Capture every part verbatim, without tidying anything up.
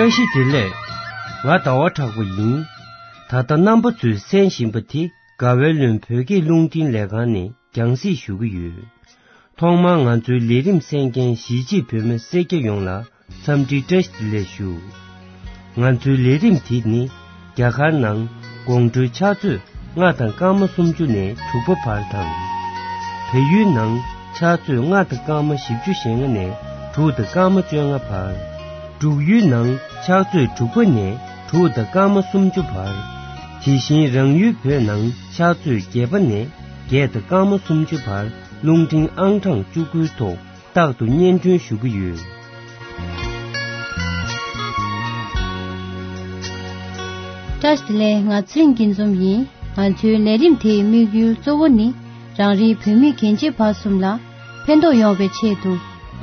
བཀྲ་ཤིས་བདེ་ལེགས། ང་ཟླ་བ་གྲགས་པ་ཡིན། ད་ལྟ་རྣམ་པ་ཚོས་གསན་བཞིན་པ་དེ་དགའ་བའི་ལུང་བོད་སྐད་རླུང་འཕྲིན་ལས་ཁང་ནས་རྒྱང་སྲིང་ཞུ་གི་ཡོད། ཐོག་མར་ང་ཚོའི་ལས་རིམ་གསན་མཁན་གཞིས་བྱེས་བོད་མི་སེར་སྐྱ་ཡོངས་ལ་འཚམས་འདྲི་བཀྲ་ཤིས་བདེ་ལེགས་ཞུ། ང་ཚོའི་ལས་རིམ་དེ་ནི་རྒྱ་གར་ནང་དགོང་དྲོའི་ཕྱག་ཚོད་ལྔ་དང་སྐར་མ་སུམ་ཅུ་ནས་དྲུག་པ་བར་དང་། བལ་ཡུལ་ནང་ཕྱག་ཚོད་ལྔ་དང་སྐར་མ་བཞི་བཅུ་ཞེ་ལྔ་ནས་དྲུག་དང་སྐར་མ་བཅོ་ལྔ་བར། འབྲུག་ཡུལ་ནང་ཕྱག་ཚོད་དྲུག་པ་ནས་དྲུག་དང་སྐར་མ་སུམ་ཅུ་བར། དེ་བཞིན་རང་ཡུལ་བོད་ནང་ཕྱག་ཚོད་བརྒྱད་པ་ནས་བརྒྱད་དང་སྐར་མ་སུམ་ཅུ་བར་རླུང་འཕྲིན་ཨང་གྲངས་བཅུ་དགུའི་ཐོག་རྟག་ཏུ་སྙན་སྒྲོན་ཞུ་གི་ཡོད། བཀྲ་ཤིས་བདེ་ལེགས། ང་ཚེ་རིང་སྐྱིད་འཛོམས་ཡིན། ང་ཚོའི་ལས་རིམ་དེའི་དམིགས་ཡུལ་གཙོ་བོ་ནི་རང་རེའི་བོད་མི་རྒན་བྱིས་བར་གསུམ་ལ་ཕན་ཐོགས་ཡོང་བའི་ཆེད་དུ།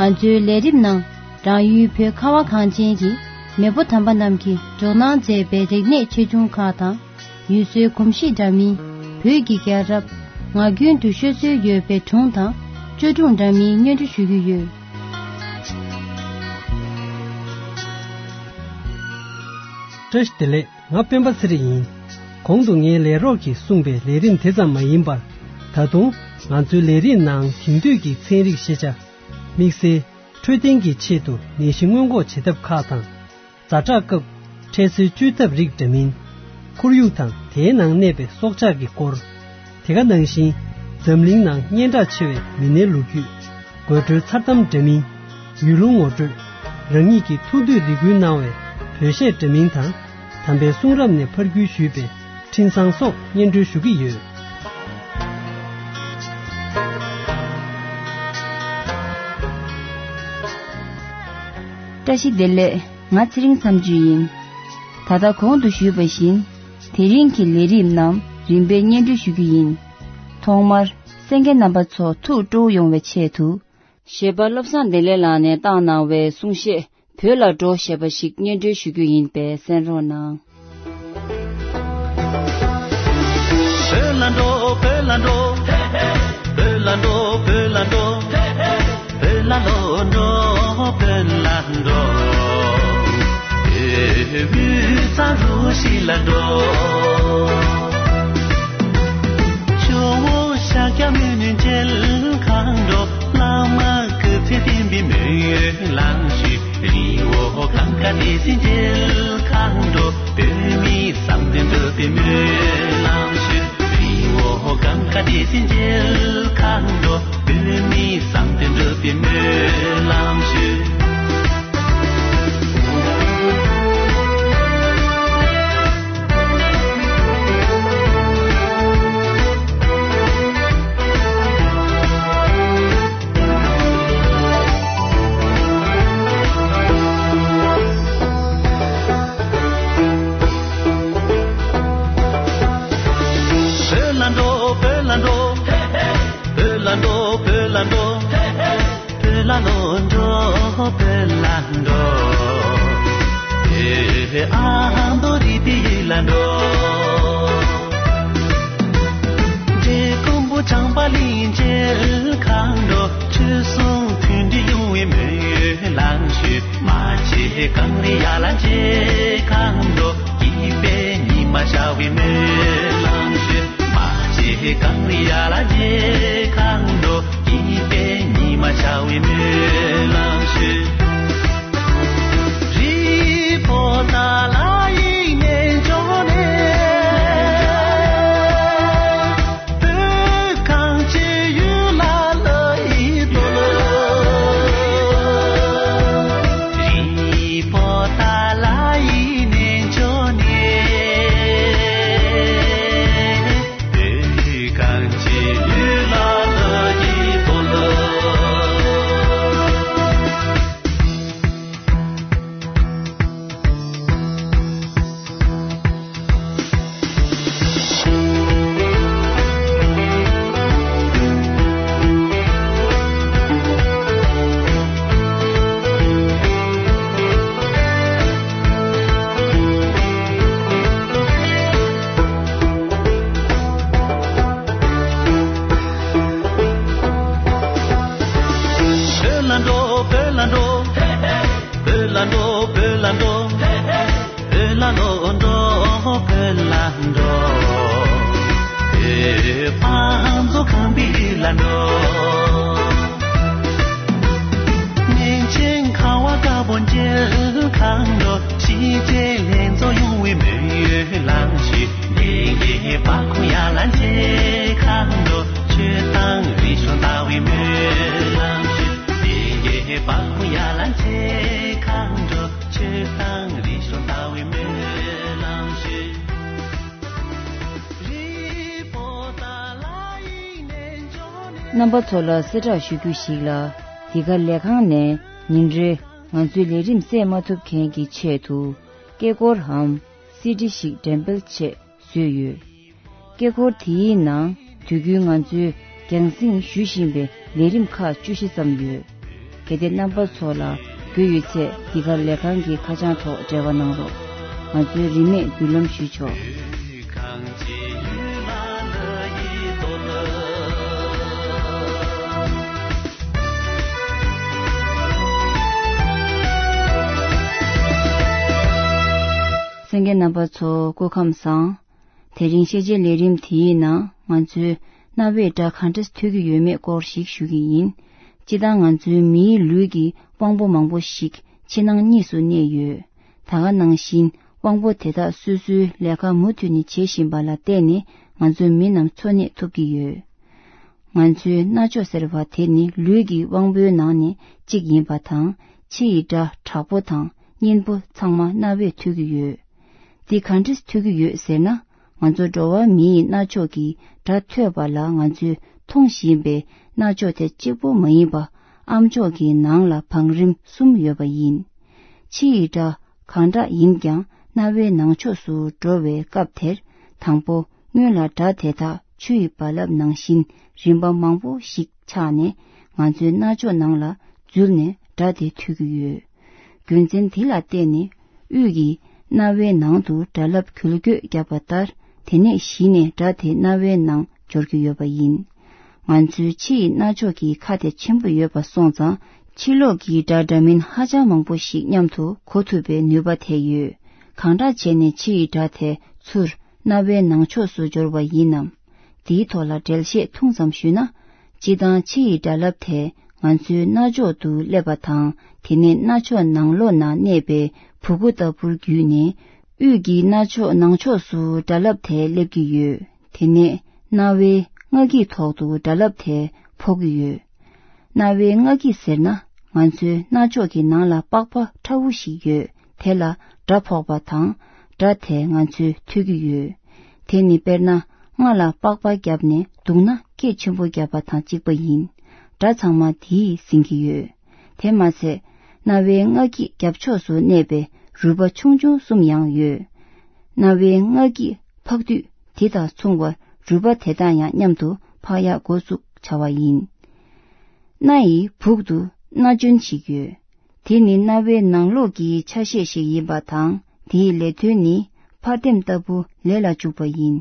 ང་ཚོའི་ལས་རིམ་ནང་རང་ཡུལ་བོད་ཁ་བ་གངས་ཅན་གྱི་མེས་པོ་དམ་པ་རྣམས་ཀྱིས་འབྲོག་ནང་མཛད་པའི་རིག་གནས་ཆེ་ཆུང་ཁག་དང་། ཡུལ་སྲོལ་གོམས་གཤིས་འདྲ་མིན། བོད་ཀྱི་རྒྱལ་རབས། ངག་རྒྱུན་དུ་ཤོད་སྲོལ་ཡོད་པའི་སྒྲུང་དང་བཅོས་སྒྲུང་འདྲ་མིན་སྙན་སྒྲོན་ཞུ་རྒྱུ་ཡོད། བཀྲ་ཤིས་བདེ་ལེགས། ང་སྤེན་པ་ཚེ་རིང་ཡིན། གོང་དུ་ངའི་ལས་རོགས་ཀྱིས་གསུངས་པའི་ལས་རིམ་དེ་ཙམ་མ་ཡིན་པར། ད་དུང་ང་ཚོའི་ལས་རིམ་ནང་དེང་དུས་ཀྱི་ཚན་རིག་ཤེས་བྱ། དམིགས་བསལ་འཕྲོད་བསྟེན་གྱི་ཆེད་དུ་ནད་གཞི་སྔོན་འགོག་བྱེད་ཐབས་ཁག་དང་། ཛ་དྲག་སྐབས་འཕྲལ་སེལ་བཅོས་ཐབས་རིགས་འདྲ་མིན། ཁོར་ཡུག་དང་དེའི་ནང་གནས་པའི་སྲོག་ཆགས་ཀྱི་སྐོར། དེ་ག་ནང་བཞིན་འཛམ་གླིང་ནང་སྙན་གྲགས་ཆེ་བའི་མི་སྣའི་ལོ་རྒྱུས། དགོད་བྲོའི་མཚར་གཏམ་འདྲ་མིན། ཡུལ་ལུང་ངོ་སྤྲོད། རང་ཉིད་ཀྱི་ཐུགས་འདོད་རེ་སྐུལ་གནང་བའི་བོད་གཞས་འདྲ་མིན་དང་། དམ་པའི་གསུང་རབ་ནས་ཕར་བརྒྱུད་ཞུས་པའི་འཕྲིན་བཟང་སོགས་སྙན་སྒྲོན་ཞུ་གི་ཡོད། བཀྲ་ཤིས་བདེ་ལེགས། ང་ཚེ་རིང་མཚམས་གཅོད་ཡིན། ད་ལྟ་གོང་དུ་ཞུས་པ་བཞིན། དེ་རིང་གི་ལས་རིམ་རྣམས་རིམ་པས་སྙན་སྒྲོན་ཞུ་རྒྱུ་ཡིན། ཐོག་མར་གསན་མཁན་རྣམ་པ་ཚོ་ཐུགས་སྤྲོ་བོ་ཡོང་བའི་ཆེད་དུ། གཞས་པ་བློ་བཟང་བདེ་ལེགས་ལགས་ནས་བཏང་གནང་བའི་གསུང་གཞས་བོད་ལ་འགྲོ་ཞེས་པ་ཞིག་སྙན་སྒྲོན་ཞུ་རྒྱུ་ཡིན་པས་གསན་རོགས་གནང་། བོད་ལ་འགྲོ། བོད་ལ་འགྲོ། བོད་ལ་འགྲོ། བོད་ལ་འགྲོ། བོད་ལ་ལོ་འགྲོ། བོད་ལ་འགྲོ། བོད་ས་རུ་ཤི་ལ་འགྲོ། ཇོ་བོ་ཤཱཀྱ་མུ་ནེ་མཇལ་གང་འགྲོ། བླ་མ་སྐུ་ཚེ་བརྟན་པའི་སྨོན་ལམ་ཞུ། རི་བོ་གངས་དཀར་བདེ་སྲུང་མཇལ་གང་འགྲོ། བོད་མི་བསམ་དོན་འགྲུབ་པའི་སྨོན་ལམ་ཞུ། རི་བོ་གངས་དཀར་བདེ་སྲུང་མཇལ་གང་འགྲོ། བོད་མི་བསམ་དོན་འགྲུབ་པའི་སྨོན་ལམ་ཞུ། བོད་ལ་འགྲོ། བོད་ལ་འགྲོ། བོད་ལ་འགྲོ། བོད་ལ་འགྲོ། བོད་ལ་ལོ་འགྲོ། བོད་ལ་འགྲོ། བོད་ཨ་མདོ་རི་དེ་ཡུལ་ལ་འགྲོ། འབྲས་སྤུངས་པོ་བྱང་པ་གླིང་མཇལ་གང་འགྲོ། ཆོས་སྲུང་མཐུན་སྒྲིལ་ཡོང་བའི་སྨོན་ལམ་ཞུ། རྨ་ཆེན་གངས་རི་ཡར་ལ་མཇལ་གང་འགྲོ། སྐྱིད་པའི་ཉི་མ་ཤར་བའི་སྨོན་ལམ་ཞུ། རྨ་ཆེན་གངས་རི་ཡར་ལ་མཇལ་གང་འགྲོ། སྐྱིད་པའི་ཉི་མ་ཤར་བའི་སྨོན་ལམ་ཞུ། རི་བོ་ཏཱ་ལ་ཡི། ལ་ལོ་འགྲོ་ཀུན་ལ་འགྲོ། བོད་པ་མཚོ་ཁང་པའི་ལ་འགྲོ། མིང་ཆེན་ཁ་བ་དཀར་པོ་འཇིལ་ཁང་འགྲོ། ཕྱི་རྒྱལ་ལྷན་ཚོགས་ཡོང་བའི་མོས་ཡོད་ལང་ཞིག་ལས་ཀྱི་པ་ཁོ་ཡ་ལ་འཇལ་ཁང་འགྲོ། ཆོས་དང་རིག་གཞུང་ལྟ་བའི་མོས་ལང་ཞིག་ལས་ཀྱི་པ་ཁོ་ཡ་ལ་འཇལ་ཁང་འགྲོ། ཆོས་དང་རིག་གཞུང་ལྟ་བའི་མོས་ལང་ཞིག་རྣམ་པ་ཚོ་ལ་གསལ་བསྒྲགས་ཞུ་རྒྱུ་ཞིག་ལ། འདི་ག་ལས་ཁང་ནས་ཉིན་རེ་ང་ཚོའི་ལས་རིམ་གསན་མ་ཐུབ་མཁན་གྱི་ཆེད་དུ་སྐད་འཁོར་འམ་སི་ཌི་ཞིག་འགྲེམས་སྤེལ་ཆེད་བཟོས་ཡོད། སྐད་འཁོར་དེའི་ནང་དུས་རྒྱུན་ང་ཚོའི་རྒྱང་སྲིང་ཞུ་བཞིན་པའི་ལས་རིམ་ཁག་བཅུ་བཞི་ཙམ་ཡོད། གལ་ཏེ་རྣམ་པ་ཚོ་ལ་རྒྱུས་ཡོད་ཚེ་འདི་ག་ལས་ཁང་གི་ཁ་བྱང་ཐོག་འབྲེལ་བ་གནང་རོགས། ང་ཚོའི་རིན་མེད་མདུན་ལམ་ཞུས་ཆོག་གསན་མཁན་རྣམ་པ་ཚོ་སྐུ་ཁམས་བཟང་། དེ་རིང་ཤེས་བྱའི་ལས་རིམ་དེའི་ནང་ང་ཚོས་རྣ་བའི་སྒྲ་ག་འདྲ་ཐོས་ཀྱི་ཡོད་མེད་སྐོར་ཞིག་ཞུ་གི་ཡིན། སྤྱིར་བཏང་ང་ཚོའི་མིའི་ལུས་ཀྱི་དབང་པོ་མང་པོ་ཞིག་ཕྱི་ནང་གཉིས་སུ་གནས་ཡོད། ད་ག་ནང་བཞིན་དབང་པོ་དེ་དག་སོ་སོའི་ལས་ཀ་མུ་མཐུད་ནས་བྱེད་བཞིན་པ་ལ་བརྟེན་ནས་ང་ཚོ་མི་རྣམས་འཚོ་གནས་ཐུབ་ཀྱི་ཡོད། ང་ཚོའི་རྣ་མཆོག་ཟེར་བ་དེ་ནི་ལུས་ཀྱི་དབང་པོའི་ནང་ནས་གཅིག་ཡིན་པ་དང་། ཕྱི་ཡི་སྒྲ་དྲག་པོ་དང་སྙན་པོ་ཚང་མ་རྣ་བས་ཐོས་ཀྱི་ཡོད། འདི་ག་འདྲས་ཐོས་ཀྱི་ཡོད་ཟེར་ན། ང་ཚོ་འགྲོ་བ་མིའི་རྣ་མཆོག་གིས་སྒྲ་ཐོས་པ་ལ་ང་ཚོས་མཐོང་བཞིན་པའི་རྣ་མཆོག་དེ་གཅིག་པོ་མ་ཡིན་པ། ཨ་མཆོག་གི་ནང་ལ་བང་རིམ་གསུམ་ཡོད་པ་ཡིན། ཕྱི་ཡི་སྒྲ་གང་འདྲ་ཡིན་ཀྱང་རྣ་བའི་ནང་ཕྱོགས་སུ་འགྲོ་བའི་སྐབས་དེར། དང་པོ་སྔོན་ལ་སྒྲ་དེ་དག་ཆུ་ཡི་རྦ་རླབས་ནང་བཞིན་རིམ་པ་མང་པོ་ཞིག་ཆགས་ནས་ང་ཚོའི་རྣ་མཆོག་ནང་ལ་འཛུལ་ནས་སྒྲ་དེ་ཐོས་ཀྱི་ཡོད། རྒྱུ་མཚན་འདི་ལ་བརྟེན་ནས་དབུས་ཀྱི་རྣ་བའི་ནང་དུ་སྒྲ་རླབས་འགུལ་སྐྱོད་བརྒྱབ་པ་ལྟར། དེ་ནས་གཞི་ནས་སྒྲ་དེ་རྣ་བའི་ནང་འབྱོར་གྱི་ཡོད་པ་ཡིན། ང་ཚོའི་ཕྱི་ཡི་རྣ་མཆོག་གི་ཁ་དེ་ཆེན་པོ་ཡོད་པ་སོང་ཙང་། ཕྱི་ལོགས་ཀྱི་སྒྲ་འདྲ་མིན་ཧ་ཅང་མང་པོ་ཞིག་མཉམ་དུ་གོ་ཐུབ་པའི་ནུས་པ་དེ་ཡོད། གང་འདྲ་བྱས་ནས་ཕྱི་ཡི་སྒྲ་དེ་ཚུར་རྣ་བའི་ནང་ཕྱོགས་སུ་འབྱོར་བ་ཡིན་ནམ། དེའི་ཐོག་ལ་འགྲེལ་བཤད་ཐུང་ཙམ་ཞུས་ན། སྤྱིར་བཏང་ཕྱི་ཡི་སྒྲ་རླབས་དེ་ང་ཚོའི་རྣ་མཆོག་ཏུ་སླེབས་པ་དང་། དེ་ནས་རྣ་མཆོག་ནང་ལོགས་ན་གནས་པའི་བུ་གུ་ལྟ་བུར་བརྒྱུད་ནས། དབུས་ཀྱི་རྣ་མཆོག་ནང་ཕྱོགས་སུ་སྒྲ་རླབས་དེ་སླེབས་ཀྱི་ཡོད། དེ་ནས་རྣ་བའི་རྔ་འགྱིག་ཐོག་ཏུ་སྒྲ་རླབས་དེ་ཕོག་གི་ཡོད། རྣ་བའི་རྔ་འགྱིག་ཟེར་ན། ང་ཚོའི་རྣ་མཆོག་གི་ནང་ལ་པགས་པ་ཕྲ་བོ་ཞིག་ཡོད། དེ་ལ་སྒྲ་ཕོག་པ་དང་། སྒྲ་དེ་ང་ཚོས་ཐོས་ཀྱི་ཡོད། དེ་ནི་དཔེར་ན། རྔ་ལ་པགས་པ་བརྒྱབ་ནས་བརྡུངས་ན་སྐད་ཆེན་པོ་བརྒྱབ་པ་དང་གཅིག་པ་ཡིན། སྒྲ་ཚང་མ་དེས་ཟིན་གྱི་ཡོད། དེ་མ་ཟད། རྣ་བའི་རྔ་འགྱིག་རྒྱབ་ཕྱོགས་སུ་གནས་པའི་རུས་པ་ཆུང་ཆུང་གསུམ་ཡང་ཡོད། རྣ་བའི་རྔ་འགྱིག་འཕགས་དུས་དེ་དང་མཚུངས་པར་རུས་པ་དེ་དག་ཡང་མཉམ་དུ་འཕགས་ཡག་འགོ་བཙུགས་བྱ་བ་ཡིན། སྣ་ཡི་སྦུག་ཏུ་སྣ་ལྗོན་ཞིག་ཡོད། དེ་ནི་རྣ་བའི་ནང་ལོགས་ཀྱི་ཆ་ཤས་ཤིག་ཡིན་པ་དང་། དེའི་ལས་དོན་ནི་ཕར་ལྡེམ་ལྟ་བུ་ལས་ལ་འཇུག་པ་ཡིན།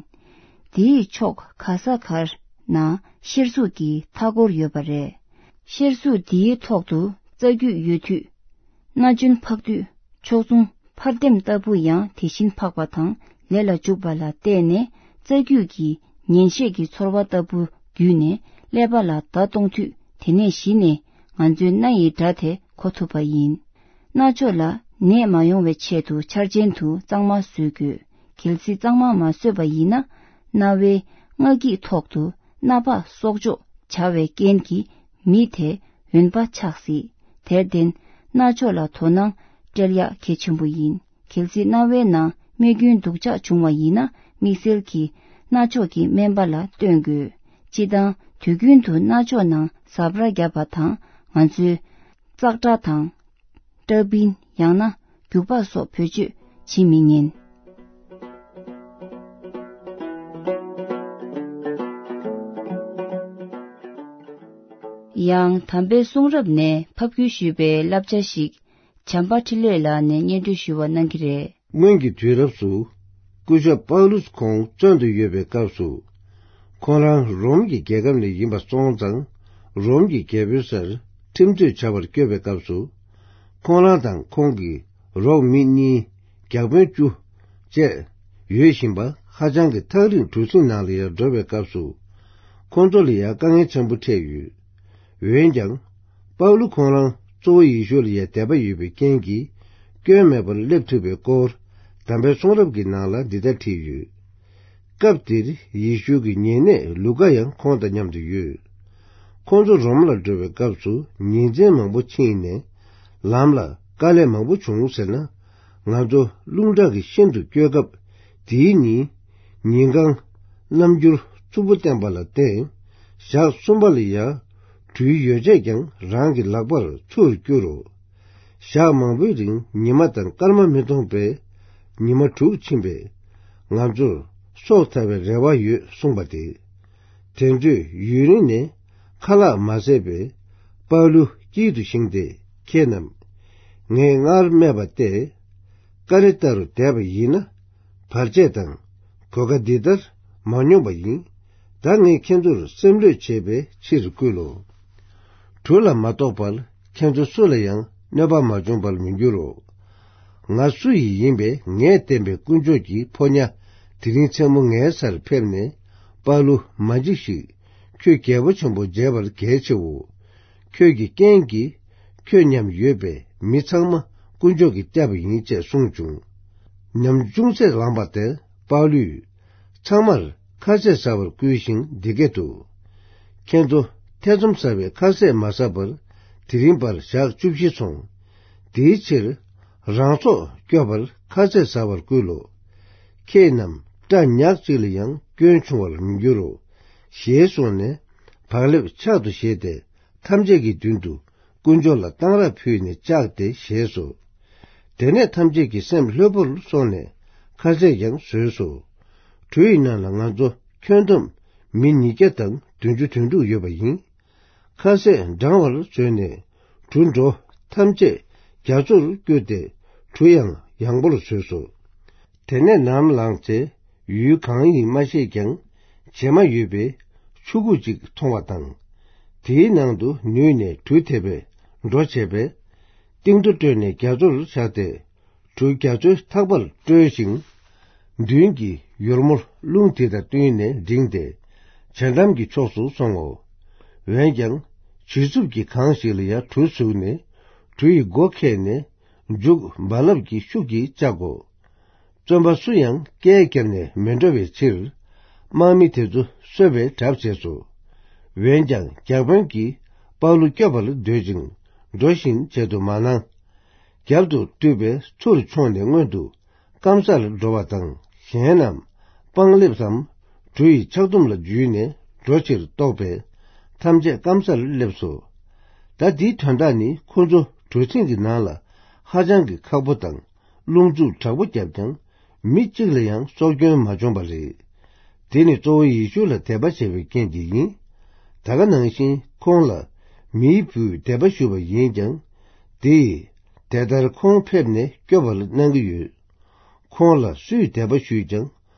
དེའི་ཕྱོགས་ག་ས་གར་ན་གཤེར་གཟུགས་ཀྱི་མཐའ་སྐོར་ཡོད་པ་རེད། གཤེར་གཟུགས་འདིའི་ཐོག་ཏུ་རྩ་རྒྱུས་ཡོད་དུས། སྣ་ལྗོན་འཕགས་དུས་ཕྱོགས་མཚུངས་ཕར་ལྡེམ་ལྟ་བུ་ཡང་དེ་བཞིན་འཕགས་པ་དང་ལས་ལ་འཇུག་པ་ལ་བརྟེན་ནས། རྩ་རྒྱུས་ཀྱི་ཉན་ཤེས་ཀྱི་ཚོར་བ་ལྟ་བུ་བརྒྱུད་ནས་ཀླད་པ་ལ་བརྡ་གཏོང་དུས། དེ་ནས་གཞི་ནས་ང་ཚོའི་རྣ་ཡི་སྒྲ་དེ་གོ་ཐུབ་པ་ཡིན། རྣ་མཆོག་ལ་ནད་མ་ཡོང་བའི་ཆེད་དུ་འཆར་ཅན་དུ་གཙང་མ་བཟོ་དགོས། གལ་སྲིད་གཙང་མ་མ་བཟོས་པ་ཡིན་ན། རྣ་བའི་རྔ་འགྱིག་ཐོག་ཏུ་སྣ་བག་གསོག་འཇོག་བྱ་བའི་རྐྱེན་གྱིས་མི་དེ་འོན་པ་ཆགས་སྲིད། དེར་བརྟེན། རྣ་མཆོག་ལ་དོ་སྣང་སྤྲད་ཡག་གལ་ཆེན་པོ་ཡིན། གལ་སྲིད་རྣ་བའི་ནང་རྨས་སྐྱོན་སྡུག་ཅག་བྱུང་བ་ཡིན་ན། དམིགས་བསལ་གྱིས་རྣ་མཆོག་གི་སྨན་པ་ལ་སྟོན་དགོས། སྤྱིར་བཏང་དུས་རྒྱུན་དུ་རྣ་མཆོག་ནང་ཟབ་ར་བརྒྱབ་པ་དང་། ང་ཚོས་ཙག་སྒྲ་དང་། ཏྲ་པིན། ཡང་ན་རྒྱུག་པ་སོགས་བེད་སྤྱོད་བྱེད་མི་ཉན། ཡང་དམ་པའི་གསུང་རབ་ནས་ཕབ་བསྒྱུར་ཞུས་པའི་བསླབ་བྱ་ཞིག་བྱམས་པ་འཕྲིན་ལས་ལགས་ནས་སྙན་སྒྲོན་ཞུ་བ་གནང་གི་རེད། སྔོན་གྱི་དུས་རབས་སུ། སྐུ་ཞབས་པཱ་ལུས་ཁོང་བཙོན་དུ་ཡོད་པའི་སྐབས་སུ། ཁོང་རང་རོམ་གྱི་རྒྱལ་ཁབ་ནས་ཡིན་པ་སོང་ཙང་། རོམ་གྱི་རྒྱལ་པོའི་སར་ཁྲིམས་རྩོད་བྱ་བར་བསྐྱོད་པའི་སྐབས་སུ། ཁོང་རང་དང་ཁོང་གི་རོགས་མི་གཉིས། བརྒྱ་དཔོན་བཅུ། བཅས་ཡོད་བཞིན་པ་ཧ་ཅང་གི་ཐག་རིང་གྲུ་གཟིངས་ནང་ལ་ཡང་འགྲོ་བའི་སྐབས་སུ། ཁོང་ཚོ་ལ་ཡང་དཀའ་ངལ་ཆེན་པོ་འཕྲད་ཡོད། འོན་ཀྱང་། པའུ་ལུ་ཁོང་རང་གཙོ་བོ་ཡེ་ཤུ་ལ་ཡང་དད་པ་ཡོད་པའི་རྐྱེན་གྱིས། སྐྱོན་མེད་པར་སླེབས་ཐུབ་པའི་སྐོར། དམ་པའི་གསུང་རབ་ཀྱི་ནང་ལ་འདི་ལྟར་བྲིས་ཡོད། སྐབས་དེར་ཡེ་ཤུ་གི་ཉེ་གནས་ལུ་ཀ་ཡང་ཁོང་དང་མཉམ་དུ་ཡོད། ཁོང་ཚོ་རོམ་ལ་འགྲོ་བའི་སྐབས་སུ་ཉིན་མཚན་མང་པོ་ཕྱིན་ནས། ལམ་ལ་དཀའ་ལས་མང་པོ་བྱུང་ཟེར་ན། ང་ཚོ་རླུང་ཁྲག་གིས་ཤིན་ཏུ་སྐྱོ་སྐབས། དེའི་ཉིན། ཉིན་གང་། རྣམ་འགྱུར་རྩུབ་པོ་བསྟན་པ་ལ་བརྟེན། ཞག་གསུམ་པ་ལ་ཡང་། གྲུའི་ཡོ་བྱད་ཀྱང་རང་གི་ལག་པར་ཚུར་བསྐྱུར་རོ། ཞག་མང་པོའི་རིང་ཉི་མ་དང་སྐར་མ་མི་མཐོང་བས། ཉི་མ་དྲུག་ཕྱིན་པས། ང་ཚོར་སྲོག་ཐར་བའི་རེ་བ་ཡོད་གསུངས་པ་སྟེ། དེ་ཚོས་ཡུན་རིང་ནས་ཁ་ལག་མ་ཟས་པས། པའུ་ལུ་དཀྱིལ་དུ་བཞེངས་ཏེ། ཁྱེད་རྣམས། ངས་སྔར་སྨྲས་པ་སྟེ། ཀ་རེ་ཏ་རུ་བསྡད་པ་ཡིན་ན། བར་ཆད་དང་གོད་ཁ་འདི་ལྟར་མ་མྱོང་བ་ཡིན། ད་ངས་ཁྱེད་ཚོར་སེམས་ལྷོད་བྱེད་པའི་ཕྱིར་བསྐུལ་ལོ། གྲུ་ལ་མ་གཏོགས་པར་ཁྱེད་ཚོ་སུ་ལ་ཡང་གནོད་པ་མ་བྱུང་བར་མི་འགྱུར་རོ། ང་སུ་ཡིས་ཡིན་པས་ངས་བསྟན་པའི་དཀོན་མཆོག་གི་ཕོ་ཉ་དེ་རིང་མཚན་མོ་ངའི་སར་ཕེབས་ནས། པའུ་ལུ་མ་འཇིགས་ཤིག། ཁྱོད་རྒྱལ་པོ་ཆེན་པོ་མཇལ་བར་གལ་ཆེའོ། ཁྱོད་ཀྱི་རྐྱེན་གྱིས་ཁྱོད་མཉམ་ཡོད་པའི་མི་ཚང་མ་དཀོན་མཆོག་གིས་བསྐྱབས་པ་ཡིན་ཅེས་གསུངས་བྱུང་། ཉམ་ཆུང་ཚད་ལངས་པ་དེར་པའུ་ལུས། ཚང་མར་ཁ་ཟས་ཟ་བར་བསྐུལ་ཞིང་འདི་སྐད་དུ། ཁྱེད་ཚོ་ཐེ་ཚོམ་ཟ་བའི་ཁ་ཟས་མ་ཟ་བར་དེ་རིང་བར་ཞག་བཅུ་བཞི་སོང་། དེའི་ཕྱིར། རང་སྲོག་སྐྱོབ་པར་ཁ་ཟས་ཟ་བར་བསྐུལ་ལོ། ཁྱེད་རྣམས་སྐྲ་ཉག་གཅིག་ལ་ཡང་སྐྱོན་བྱུང་བར་མི་འགྱུར་རོ། ཞེས་གསུངས་ནས། བག་ལེབ་ཕྱག་ཏུ་བཞེས་ཏེ། ཐམས་ཅད་ཀྱི་མདུན་དུ། དཀོན་མཆོག་ལ་གཏང་རག་ཕུལ་ནས་བཅག་སྟེ་ཞེས་སོ། དེ་ནས་ཐམས་ཅད་ཀྱི་སེམས་ལྷོད་པོར་སོང་ནས་ཁ་ཟས་ཀྱང་ཟོས་སོ། གྲུ་ཡི་ནང་ལ་ང་ཚོ་ཁྱོན་བསྡོམས་མི་ཉིས་བརྒྱ་དང་བདུན་ཅུ་དོན་དྲུག་ཡོད་པ་ཡིན། ཁ་ཟས་འགྲང་བར་བཟོས་ནས་གྲུ་འགྲོ་ཐམས་ཅད་རྒྱ་མཚོར་བསྐྱུར་ཏེ་གྲུ་ཡང་ཡངས་པོར་བཟོས་སོ། དེ་ནས་ནམ་ལངས་ཚེ་ཡུལ་གང་ཡིན་མ་ཤེས་ཀྱང་བྱེ་མ་ཡོད་པའི་ཆུ་ཁུག་ཅིག་མཐོང་བ་དང་། དེའི་ནང་དུ་ནུས་ནས་གྲུ་དེད་པས་འགྲོ་བྱས་པས། གཏིང་རྡོ་བཀྲོལ་ནས་རྒྱ་མཚོར་བཞག་སྟེ། གྲུ་རྒྱ་མཚོའི་ཐག་པར་བཀྲོལ་ཞིང་། མདུན་གྱི་ཡུར་མོར་རླུང་དེ་དང་བསྟུན་ནས་འགྲིམས་ཏེ། བྱེ་འགྲམ་གྱི་ཕྱོགས་སུ་སོང་ངོ་། འོན་ཀྱང་། བྱིའུ་རྩུབ་ཀྱིས་གང་ཞིག་ལ་ཡང་གྲུ་ཟུག་ནས། གྲུ་ཡི་སྒོ་ཁེགས་ནས། མཇུག་རྦ་རླབས་ཀྱི་ཤུགས་ཀྱིས་བཅག་གོ། བཙོན་པ་སུ་ཡང་སྐད་བརྒྱབ་ནས་མི་འགྲོ་བའི་ཕྱིར། དམག་མི་དེ་ཚོ་གསོད་པའི་གྲབས་བྱས་སོ། འོན་ཀྱང་རྒྱག་དཔོན་གྱིས་པའུ་ལུ་སྐྱོབ་པར་འདོད་ཅིང་། འགྲོ་བཞིན་བྱེད་དུ་མ་གནང་། རྒྱབ་ཏུ་བཏུད་པའི་ཚུར་མཆོངས་ནས་སྔོན་དུ་སྐམ་སར་འགྲོ་བ་དང་། གཞན་རྣམས་སྤང་ལེབ་སམ་གྲུ་ཡི་ཆག་དུམ་ལ་འཇུས་ནས་འགྲོ་ཕྱིར་བཏོགས་པས། ཐམས་ཅད་སྐམ་སར་སླེབས་སོ། ད་འདིའི་དོན་དག་ནི་ཁོ་ཚོ་གྲུ་གཟིངས་ཀྱི་ནང་ལ་ཧ་ཅང་གི་ཁག་པོ་དང་། རླུང་འཚུབ་དྲག་པོ་བརྒྱབ་ཀྱང་། མི་གཅིག་ལ་ཡང་སྲོག་སྐྱོན་མ་བྱུང་བ་རེད། དེ་ནི་གཙོ་བོ་ཡེ་ཤུ་ལ་དད་པ་བྱས་པའི་རྐྱེན་གྱིས་ཡིན། ད་ག་ནང་བཞིན་ཁོང་ལ་མིའི་བུས་དད་པ་ཞུས་པ་ཡིན་ཀྱང་། དེ་ཡིས་དེ་ལྟར་ཁོང་ཕེབས་ནས་སྐྱོབ་པར་གནང་གི་ཡོད། ཁོང་ལ་སུས་དད་པ་ཞུས་ཀྱང་།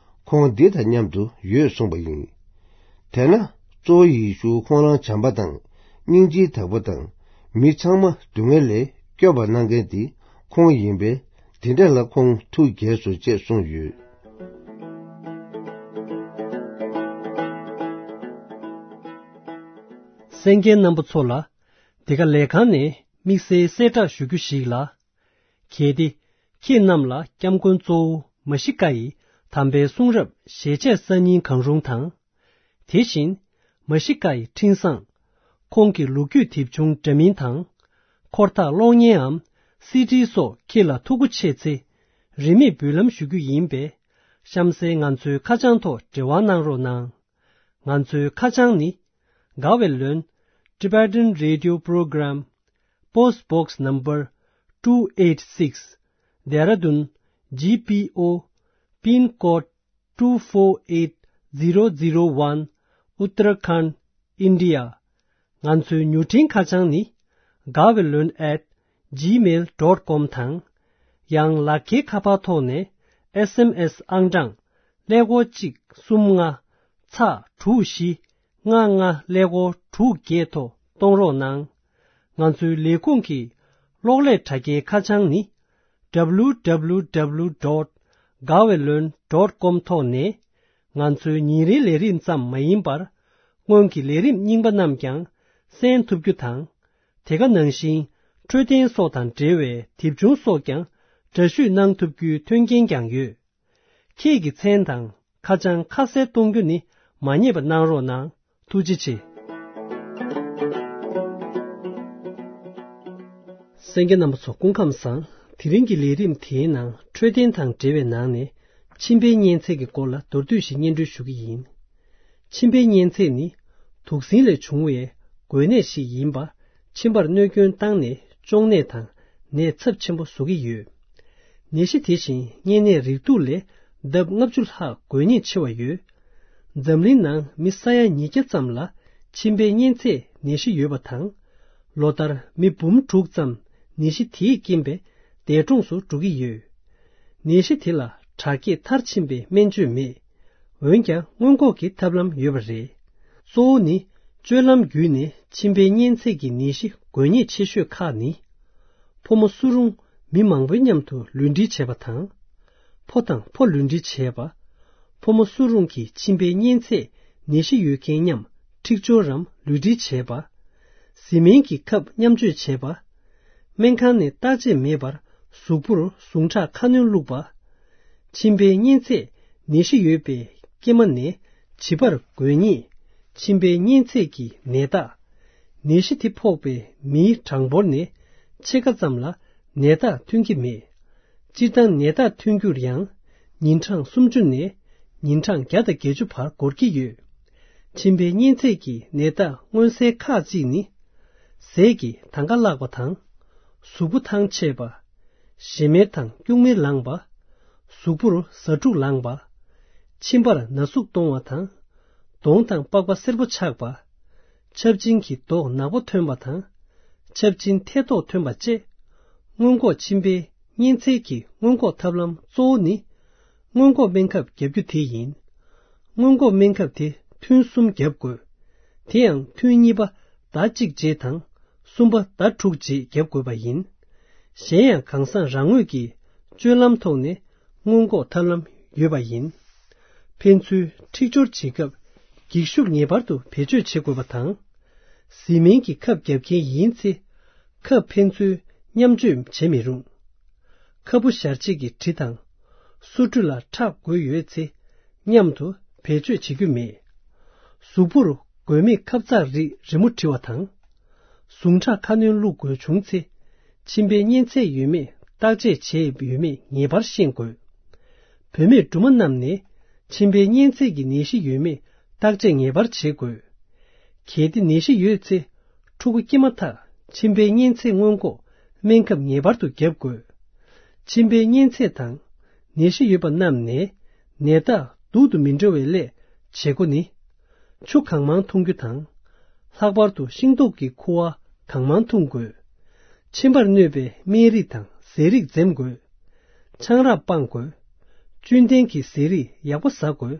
ཁོང་འདི་དང་མཉམ་དུ་ཡོད་གསུངས་པ་ཡིན། དེས་ན། གཙོ་བོ་ཡེ་ཤུ་ཁོང་རང་བྱམས་པ་དང་། སྙིང་རྗེའི་བདག་པོ་དང་། མི་ཚང་མ་སྡུག་བསྔལ་ལས་སྐྱོབ་པ་གནང་མཁན་དེ་ཁོང་ཡིན་པས། དེ་འདྲ་ལ་ཁོང་ཐུགས་དགྱེས་སོ་ཅེས་གསུངས་ཡོད། གསན་མཁན་རྣམ་པ་ཚོ་ལ། འདི་ག་ལས་ཁང་ནས་དམིགས་བསལ་གསལ་བསྒྲགས་ཞུ་རྒྱུ་ཞིག་ལ། གལ་ཏེ། ཁྱེད་རྣམས་ལ་སྐྱབས་མགོན་གཙོ་བོ་མ་ཤི་ཀ་ཡི་དམ་པའི་གསུང་རབ་ཞལ་ཆད་གསར་རྙིང་གང་རུང་དང་། དེ་བཞིན། མ་ཤི་ཀ་ཡི་འཕྲིན་བཟང་། ཁོང་གི་ལོ་རྒྱུས་དེབ་ཆུང་འདྲ་མིན་དང་། འཁོར་ཐག་གློག་བརྙན་འམ། སི་ཌི་སོགས་ཁྱེད་ལ་ཐུགས་མཁོ་ཆེ་ཚེ། རིན་མེད་འབུལ་ལམ་ཞུ་རྒྱུ་ཡིན་པས། གཤམ་གསལ་ང་ཚོའི་ཁ་བྱང་ཐོག་འབྲེལ་བ་གནང་རོགས་གནང་། ང་ཚོའི་ཁ་བྱང་ནི། དགའ་བའི་ལོན། Tibetan Radio Program། Post Box Number two eight six། Dehradun G P O། Pin Code two four eight zero zero one། Uttarakhand། India། ང་ཚོའི་མྱུར་འཕྲིན་ཁ་བྱང་ནི། དགའ་བའི་ལོན་at gmail dot com དང་། ཡང་ལག་འཁྱེར་ཁ་པར་ཐོག་ནས་ཨེས་ཨེམ་ཨེས་ཨང་གྲངས་ཀླད་ཀོར་གཅིག་གསུམ་ལྔ་ཚག་དྲུག་བཞི་ལྔ་ལྔ་ཀླད་ཀོར་དྲུག་བརྒྱད་ཐོག་གཏོང་རོགས་གནང་། ང་ཚོའི་ལས་ཁུངས་ཀྱི་གློག་ཀླད་དྲ་རྒྱའི་ཁ་བྱང་ནི། W W W dot དགའ་བའི་ལོན་ཌོཊ་ཀོམ་ཐོག་ནས། ང་ཚོའི་ཉིན་རེའི་ལས་རིམ་ཙམ་མ་ཡིན་པར། སྔོན་གྱི་ལས་རིམ་རྙིང་པ་རྣམས་ཀྱང་གསན་ཐུབ་རྒྱུ་དང་། དེ་ག་ནང་བཞིན་འཕྲོད་བསྟེན་སོགས་དང་འབྲེལ་བའི་དེབ་ཆུང་སོགས་ཀྱང་འདྲ་བཤུས་གནང་ཐུབ་རྒྱུའི་མཐུན་རྐྱེན་ཀྱང་ཡོད། ཁྱེད་ཀྱི་མཚན་དང་ཁ་བྱང་ཁ་གསལ་གཏོང་རྒྱུ་ནི་མ་བསྙེལ་བ་གནང་རོགས་གནང་། ཐུགས་རྗེ་ཆེ། གསན་མཁན་རྣམ་པ་ཚོ་སྐུ་ཁམས་བཟང་། དེ་རིང་གི་ལས་རིམ་དེའི་ནང་འཕྲོད་བསྟེན་དང་འབྲེལ་བའི་ནང་ནས་མཆིན་པའི་གཉན་ཚད་ཀྱི་སྐོར་ལ་མདོར་བསྡུས་ཤིག་སྙན་སྒྲོན་ཞུ་གི་ཡིན། མཆིན་པའི་གཉན་ཚད་ནི་དུག་སྲིན་ལས་བྱུང་བའི་འགོས་ནད་ཞིག་ཡིན་པ། མཆིན་པར་གནོད་སྐྱོན་བཏང་ནས་གཅོང་ནད་དང་ནད་ཚབས་ཆེན་པོ་བཟོ་གི་ཡོད། ནད་གཞི་དེ་བཞིན་གཉན་ནད་རིགས་དྲུག་ལས་ལྡབ་ལྔ་བཅུ་ལྷག་འགོས་ཉེན་ཆེ་བ་ཡོད། འཛམ་གླིང་ནང་མི་ས་ཡ་ཉིས་བརྒྱ་ཙམ་ལ་མཆིན་པའི་གཉན་ཚད་ནད་གཞི་ཡོད་པ་དང་། ལོ་ལྟར་མི་འབུམ་དྲུག་ཙམ་ནད་གཞི་དེའི་རྐྱེན་པས་འདས་གྲོངས་སུ་འགྲོ་གི་ཡོད། ནད་གཞི་དེ་ལ་དྲག་སྐྱེད་མཐར་ཕྱིན་པའི་སྨན་བཅོས་མེད། འོན་ཀྱང་སྔོན་འགོག་གི་ཐབས་ལམ་ཡོད་པ་རེད། གཙོ་བོ་ནི་སྤྱོད་ལམ་བརྒྱུད་ནས་མཆིན་པའི་གཉན་ཚད་ཀྱི་ནད་གཞི་འགོས་ཉེན་ཆེ་ཤོས་ཁག་ནི། ཕོ་མོ་སུ་རུང་མི་མང་པོའི་མཉམ་དུ་ལུས་འབྲེལ་བྱས་པ་དང་། ཕོ་དང་ཕོ་ལུས་འབྲེལ་བྱས་པ། ཕོ་མོ་སུ་རུང་གི་མཆིན་པའི་གཉན་ཚད་ནད་གཞི་ཡོད་མཁན་མཉམ་འཁྲིག་སྦྱོར་རམ་ལུས་འབྲེལ་བྱས་པ། བཟི་སྨན་གྱི་ཁབ་མཉམ་སྤྱོད་བྱས་པ། སྨན་ཁང་ནས་བརྟག་དཔྱད་མེད་པར་གཟུགས་པོར་ཟུངས་ཁྲག་ཁ་སྣོན་བླུགས་པ། མཆིན་པའི་གཉན་ཚད་ནད་གཞི་ཡོད་པའི་སྐྱེས་མ་ནས་བྱིས་པར་འགོས་ཉེན། མཆིན་པའི་གཉན་ཚད་ཀྱི་ནད་རྟགས། ནད་གཞི་དེ་ཕོག་པའི་མིའི་གྲངས་འབོར་ནས་ཕྱེད་ཀ་ཙམ་ལ་ནད་རྟགས་ཐོན་གྱི་མེད། སྤྱིར་བཏང་ནད་རྟགས་ཐོན་རྒྱུར་ཡང་ཉིན་གྲངས་སུམ་ཅུ་ནས་ཉིན་གྲངས་བརྒྱ་དང་བརྒྱད་ཅུ་བར་འགོར་གྱི་ཡོད། མཆིན་པའི་གཉན་ཚད་ཀྱི་ནད་རྟགས་མངོན་གསལ་ཁག་ཅིག་ནི། ཟས་ཀྱི་དང་ག་བརླག་པ་དང་། གཟུགས་པོ་ཐང་ཆད་པ། ཞེ་མེར་དང་སྐྱུག་མེར་ལངས་པ། གཟུགས་པོར་ཟ་འཕྲུག་ལངས་པ། མཆིན་པར་ན་ཟུག་གཏོང་བ་དང་། གདོང་དང་པགས་པ་སེར་པོ་ཆགས་པ། ཆབ་ཆེན་གྱི་མདོག་ནག་པོ་ཐོན་པ་དང་། ཆབ་ཆེན་ཐལ་མདོག་ཐོན་པ་བཅས། སྔོན་འགོག་མཆིན་པའི་གཉན་ཚད་ཀྱི་སྔོན་འགོག་ཐབས་ལམ་གཙོ་བོ་ནི། སྔོན་འགོག་སྨན་ཁབ་བརྒྱབ་རྒྱུ་དེ་ཡིན། སྔོན་འགོག་སྨན་ཁབ་དེ་ཐུན་གསུམ་བརྒྱབ་དགོས། དེ་ཡང་ཐུན་གཉིས་པ་ཟླ་གཅིག་རྗེས་དང་། གསུམ་པ་ཟླ་དྲུག་རྗེས་བརྒྱབ་དགོས་པ་ཡིན། གཞན་ཡང་གང་ཟག་རང་ངོས་ཀྱི་སྤྱོད་ལམ་ཐོག་ནས་སྔོན་འགོག་ཐབས་ལམ་ཡོད་པ་ཡིན། ཕན་ཚུན་འཁྲིག་སྦྱོར་བྱེད་སྐབས་འགྱིག་ཤུགས་ངེས་པར་དུ་བེད་སྤྱོད་བྱེད་དགོས་པ་དང་། བཟི་སྨན་གྱི་ཁབ་བརྒྱབ་མཁན་ཡིན་ཚེ། ཁབ་ཕན་ཚུན་མཉམ་སྤྱོད་བྱེད་མི་རུང་། ཁ་སྤུ་ཞར་བྱེད་ཀྱི་གྲི་དང་། སོ་ཁྲུས་ལ་ཁྲག་འགོས་ཡོད་ཚེ། མཉམ་དུ་བེད་སྤྱོད་བྱེད་རྒྱུ་མེད། གཟུགས་པོར་འགོས་མེད་ཁབ་ཚགས་རིགས་རི་མོ་བྲི་བ་དང་། ཟུངས་ཁྲག་ཁ་སྣོན་བླུགས་དགོས་བྱུང་ཚེ། མཆིན་པའི་གཉན་ཚད་ཡོད་མེད་བརྟག་དཔྱད་བྱས་ཡོད་མེད་ངེས་པར་ཤེས་དགོས། བུད་མེད་སྦྲུམ་མ་རྣམས་ནས་མཆིན་པའི་གཉན་ཚད་ཀྱི་ནད་གཞི་ཡོད་མེད་བརྟག་དཔྱད་ངེས་པར་བྱེད་དགོས། གལ་ཏེ་ནད་གཞི་ཡོད་ཚེ། ཕྲུ་གུ་སྐྱེས་མ་ཐག་མཆིན་པའི་གཉན་ཚད་སྔོན་འགོག་སྨན་ཁབ་ངེས་པར་དུ་བརྒྱབ་དགོས། མཆིན་པའི་གཉན་ཚད་དང་ནད་གཞི་ཡོད་པ་རྣམས་ནས་ནད་རྟགས་སྡུག་ཏུ་མི་འགྲོ་བའི་སླད་བྱེད་སྒོ་ནི། ཆུ་གང་མང་འཐུང་རྒྱུ་དང་། ལྷག་པར་དུ་ཤིང་ཏོག་གི་ཁུ་བ་གང་མང་འཐུང་དགོས། མཆིན་པར་གནོད་པའི་སྨན་རིགས་དང་ཟས་རིགས་འཛེམ་དགོས། ཆང་རག་སྤང་དགོས། བཅུད་ལྡན་གྱི་ཟས་རིགས་ཡག་པོ་ཟ་དགོས།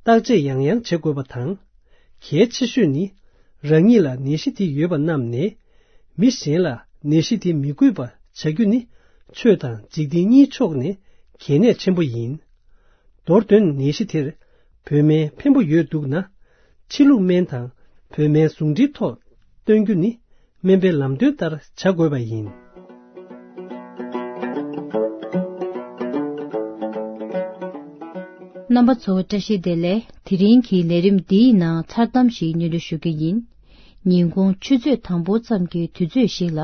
བརྟག་དཔྱད་ཡང་ཡང་བྱེད་དགོས་པ་དང་། གལ་ཆེ་ཤོས་ནི། རང་ཉིད་ལ་ནད་གཞི་དེ་ཡོད་པ་རྣམས་ནས། མི་གཞན་ལ་ནད་གཞི་དེ་མི་འགོས་པ་བྱ་རྒྱུ་ནི། ཆོས་དང་འཇིག་རྟེན་གཉིས་ཕྱོགས་ནས་གལ་གནད་ཆེན་པོ་ཡིན། མདོར་དོན་ནད་གཞི་དེར་བོད་སྨན་ཕན་པོ་ཡོད་འདུག་ན། ཕྱི་ལུགས་སྨན་དང་བོད་སྨན་ཟུང་འབྲེལ་ཐོག་བསྟེན་རྒྱུ་ནི་སྨན་པའི་ལམ་སྟོན་ལྟར་བྱ་དགོས་པ་ཡིན། རྣམ་པ་ཚོ་བཀྲ་ཤིས་བདེ་ལེགས། དེ་རིང་གི་ལས་རིམ་འདིའི་ནང་མཚར་གཏམ་ཞིག་སྙན་སྒྲོན་ཞུ་རྒྱུ་ཡིན། ཉིན་གུང་ཆུ་ཚོད་དང་པོ་ཙམ་གྱི་དུས་ཚོད་ཞིག་ལ།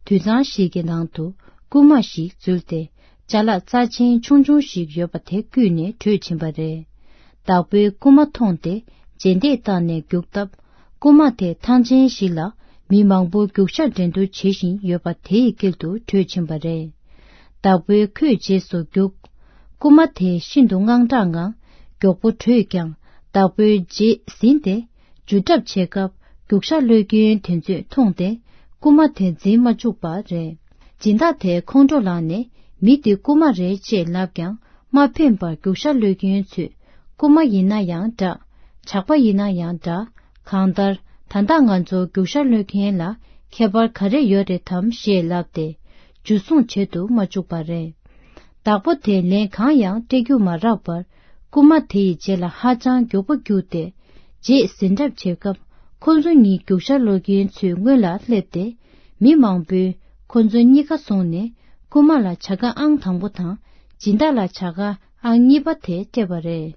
དུད་ཚང་ཞིག་གི་ནང་དུ་རྐུན་མ་ཞིག་འཛུལ་ཏེ། ཅ་ལག་རྩ་ཆེན་ཆུང་ཆུང་ཞིག་ཡོད་པ་དེ་བརྐུས་ནས་བྲོས་ཕྱིན་པ་རེད། བདག་པོས་རྐུན་མ་མཐོང་སྟེ་རྗེས་འདེད་བཏང་ནས་རྒྱུག་སྟབས། རྐུན་མ་དེ་ཐང་ཆེན་ཞིག་ལ་མི་མང་པོ་རྒྱུག་ཤར་འགྲན་བསྡུར་བྱེད་བཞིན་ཡོད་པ་དེའི་དཀྱིལ་དུ་བྲོས་ཕྱིན་པ་རེད། བདག་པོས་ཁོའི་རྗེས་སུ་རྒྱུག་རྐུན་མ་དེ་ཤིན་ཏུ་དངངས་སྐྲག་ངང་མགྱོགས་པོ་བྲོས་ཀྱང་། བདག་པོའི་རྗེས་ཟིན་ཏེ། འཇུ་གྲབས་བྱེད་སྐབས། རྒྱུག་ཤར་གློད་མཁན་དེ་ཚོས་མཐོང་སྟེ། རྐུན་མ་དེ་འཛིན་མ་བཅུག་པ་རེད། སྦྱིན་བདག་དེ་ཁོང་ཁྲོ་ལངས་ནས། མི་འདི་རྐུན་མ་རེད་ཅེས་ལབ་ཀྱང་། མ་ཕན་པར་རྒྱུག་ཤར་གློད་མཁན་ཚོས། རྐུན་མ་ཡིན་ན་ཡང་འདྲ། ཇག་པ་ཡིན་ན་ཡང་འདྲ། གང་ལྟར། ད་ལྟ་ང་ཚོ་རྒྱུག་ཤར་གློད་མཁན་ལ། ཁྱད་པར་ག་རེ་ཡོད་རེད་དམ་ཞེས་ལབ་སྟེ། འཇུ་བཟུང་བྱེད་དུ་མ་བཅུག་པ་རེད། བདག་པོ་དེས་ལན་གང་ཡང་སྤྲད་རྒྱུ་མ་རག་པར། རྐུན་མ་དེ་ཡི་རྗེས་ལ་ཧ་ཅང་མགྱོགས་པོ་རྒྱུགས་ཏེ། རྗེས་ཟིན་གྲབས་བྱེད་སྐབས། ཁོ་ཚོ་གཉིས་རྒྱུག་ཤར་སློག་མཁན་ཚོའི་སྔོན་ལ་སླེབས་ཏེ། མི་མང་པོས་ཁོ་ཚོ་གཉིས་ཀ་བཟུང་ནས། རྐུན་མ་ལ་བྱ་དགའ་ཨང་དང་པོ་དང་། སྦྱིན་བདག་ལ་བྱ་དགའ་ཨང་གཉིས་པ་དེ་སྤྲད་པ་རེད།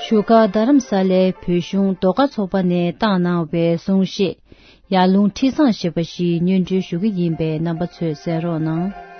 བཞུགས་སྒར་རྡ་རམ་ས་ལའི་བོད་གཞུང་ཟློས་གར་ཚོགས་པ་ནས་བཏང་གནང་བའི་གསུང་བཤད། ཡར་ཀླུང་ཁྲི་བཟང་ཞེས་པ་ཞིག་སྙན་སྒྲོན་ཞུ་གི་ཡིན་པས། རྣམ་པ་ཚོས་གསན་རོགས་གནང་།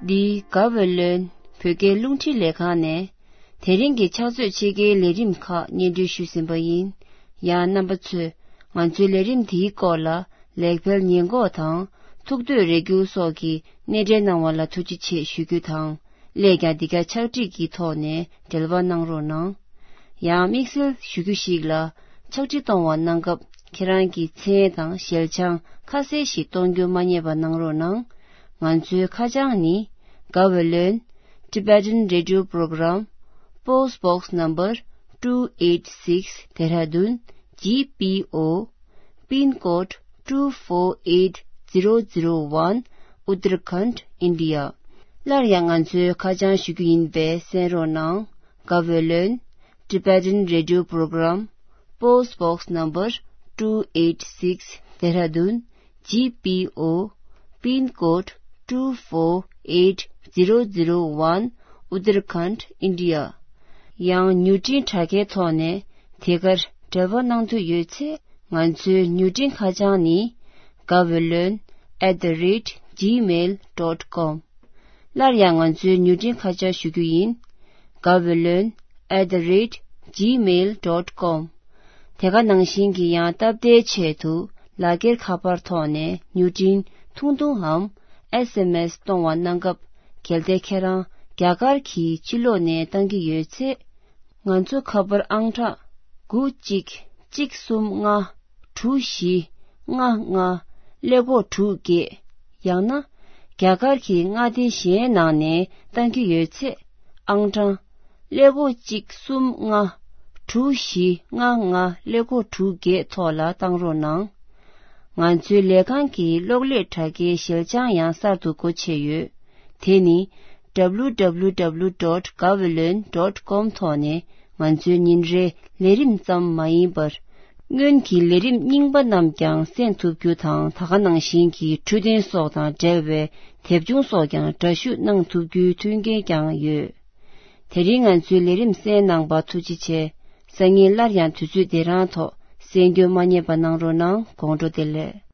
འདི་ག་བོད་ལོན་བོད་སྐད་རླུང་འཕྲིན་ལས་ཁང་ནས་དེ་རིང་གི་ཕྱག་ཚོད་ཕྱེད་ཀའི་ལས་རིམ་ཁག་སྙན་སྒྲོན་ཞུས་ཟིན་པ་ཡིན། ཡང་རྣམ་པ་ཚོས་ང་ཚོའི་ལས་རིམ་འདིའི་སྐོར་ལ་ལེགས་སྤེལ་ཉེས་འགོག་དང་ཐུགས་འདོད་རེ་སྐུལ་སོགས་ཀྱི་སྣེ་འདྲེན་གནང་བ་ལ་ཐུགས་རྗེ་ཆེ་ཞུ་རྒྱུ་དང་། སླད་ཀྱང་འདི་ག་ཕྱག་བྲིས་ཀྱི་ཐོག་ནས་འབྲེལ་བ་གནང་རོགས་གནང་། ཡང་དམིགས་བསལ་ཞུ་རྒྱུ་ཞིག་ལ། ཕྱག་བྲིས་གཏོང་བ་གནང་སྐབས་ཁྱེད་རང་གི་མཚན་དང་ཞལ་བྱང་ཁ་གསལ་ཞིག་གཏོང་རྒྱུ་མ་བསྙེལ་བ་གནང་རོགས་གནང་། ང་ཚོའི་ཁ་བྱང་ནི། Gaweylon Tibetan Radio Program, Post Box Number two eight six, Dehradun G P O, Pin Code two four eight zero zero one, Uttarakhand, India. སླར་ཡང་ང་ཚོའི་ཁ་བྱང་ཞུ་རྒྱུ་ཡིན་པས་གསན་རོགས་གནང་། Gaweylon Tibetan Radio Program, Post Box Number two eight six, Dehradun G P O, Pin Code two four eight zero zero one, Uttarakhand, India. ཡང་མྱུར་འཕྲིན་དྲ་རྒྱའི་ཐོག་ནས་དེ་གར་འབྲེལ་བ་གནང་འདོད་ཡོད་ཚེ། ང་ཚོའི་མྱུར་འཕྲིན་ཁ་བྱང་ནི། Gaweylon at the rate gmail dot com. སླར་ཡང་ང་ཚོའི་མྱུར་འཕྲིན་ཁ་བྱང་ཞུ་རྒྱུ་ཡིན། Gaweylon at the rate gmail dot com. དེ་ག་ནང་བཞིན་གྱི་ཡང་སྟབས་བདེའི་ཆེད་དུ་ལག་འཁྱེར་ཁ་པར་ཐོག་ནས་མྱུར་འཕྲིན་ཐུང་ཐུང་འམ་S M S གཏོང་བ་གནང་སྐབས། གལ་ཏེ་ཁྱེད་རང་རྒྱ་གར་གྱི་ཕྱི་ལོགས་ནས་བཏང་གི་ཡོད་ཚེ། ང་ཚོ་ཁ་པར་ཨང་གྲངས་དགུ་གཅིག་གཅིག་གསུམ་ལྔ་དྲུག་བཞི་ལྔ་ལྔ་ཀླད་ཀོར་དྲུག་བརྒྱད། ཡང་ན་རྒྱ་གར་གྱི་མངའ་སྡེ་གཞན་ནང་ནས་བཏང་གི་ཡོད་ཚེ། ཨང་གྲངས་ཀླད་ཀོར་གཅིག་གསུམ་ལྔ་དྲུག་བཞི་ལྔ་ལྔ་ཀླད་ཀོར་དྲུག་བརྒྱད་ཐོག་ལ་བཏང་རོགས་གནང་། ང་ཚོའི་ལས་ཁང་གི་གློག་ཀླད་དྲ་རྒྱའི་ཞལ་བྱང་ཡང་གསར་དུ་སྒོ་ཕྱེ་ཡོད། དེ་ནི་W W W dot gaweylon dot com ཐོག་ནས་ང་ཚོའི་ཉིན་རེའི་ལས་རིམ་ཙམ་མ་ཡིན་པར། སྔོན་གྱི་ལས་རིམ་རྙིང་པ་རྣམས་ཀྱང་གསན་ཐུབ་རྒྱུ་དང་། ད་ག་ནང་བཞིན་གྱི་འཕྲོད་བསྟེན་སོགས་དང་འབྲེལ་བའི་དེབ་ཆུང་སོགས་ཀྱང་འདྲ་བཤུས་གནང་ཐུབ་རྒྱུའི་མཐུན་རྐྱེན་ཀྱང་ཡོད། དེ་རིང་ང་ཚོའི་ལས་རིམ་གསན་གནང་བར་ཐུགས་རྗེ་ཆེ། སང་ཉིན་སླར་ཡང་དུས་ཚོད་འདི་རང་ཐོག་གསན་རྒྱུ་མ་བསྙེལ་བ་གནང་རོགས་གནང་། དགོང་དྲོ་བདེ་ལེགས།